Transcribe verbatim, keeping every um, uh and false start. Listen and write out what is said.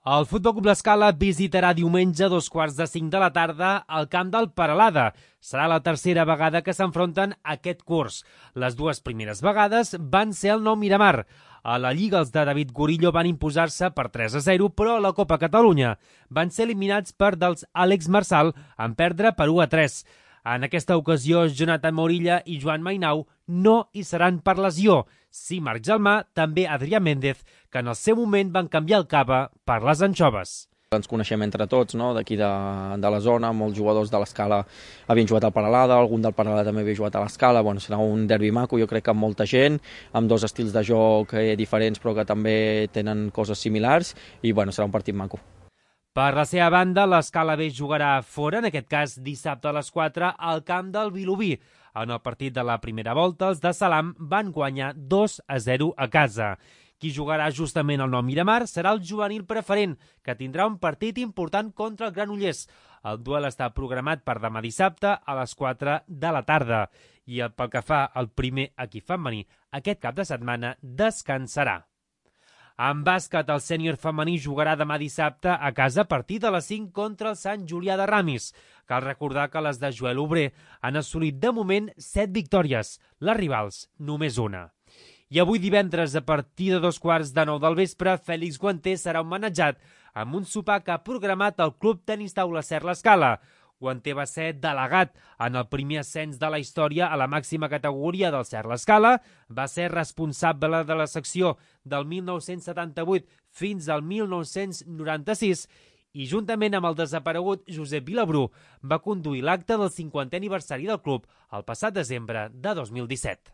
El Futbol Club L'Escala visitarà diumenge a dos quarts de cinc de la tarda al camp del Peralada. Serà la tercera vegada que s'enfronten aquest curs. Les dues primeres vegades van ser al Nou Miramar. A la Lliga els de David Gorillo van imposar-se per tres a zero, però a la Copa Catalunya van ser eliminats per dels Àlex Marsal en perdre per u a tres. En aquesta ocasió, Jonathan Morilla i Joan Mainau no hi seran per lesió. Sí, Marc Gelmà, també Adrià Méndez, que en el seu moment van canviar el cava per les anxoves. Ens coneixem entre tots, no? D'aquí de, de la zona, molts jugadors de l'Escala havien jugat al Peralada, algun del Peralada també havia jugat a l'Escala. Bueno, serà un derbi maco, jo crec que amb molta gent, amb dos estils de joc eh, diferents però que també tenen coses similars i bueno, serà un partit maco. Per la seva banda, l'Escala B jugarà fora, en aquest cas dissabte a les quatre, al camp del Vilobí. En el partit de la primera volta, els de Salam van guanyar dos a zero a casa. Qui jugarà justament al Nou Miramar serà el juvenil preferent, que tindrà un partit important contra el Granollers. El duel està programat per demà dissabte a les quatre de la tarda. I pel que fa al primer equip femení, aquest cap de setmana descansarà. En bàsquet, el sènior femení jugarà demà dissabte a casa a partir de les cinc contra el Sant Julià de Ramis. Cal recordar que les de Joel Obrer han assolit de moment set victòries, les rivals només una. I avui divendres, a partir de dos quarts de nou del vespre, Fèlix Guanter serà homenatjat amb un sopar que ha programat el Club Tenis Taula Ser L'Escala. Guanter va ser delegat en el primer ascens de la història a la màxima categoria del Ser L'Escala, va ser responsable de la secció del mil nou-cents setanta-vuit fins al mil nou-cents noranta-sis i juntament amb el desaparegut Josep Vilabrú va conduir l'acte del cinquantè aniversari del club el passat desembre de dos mil disset.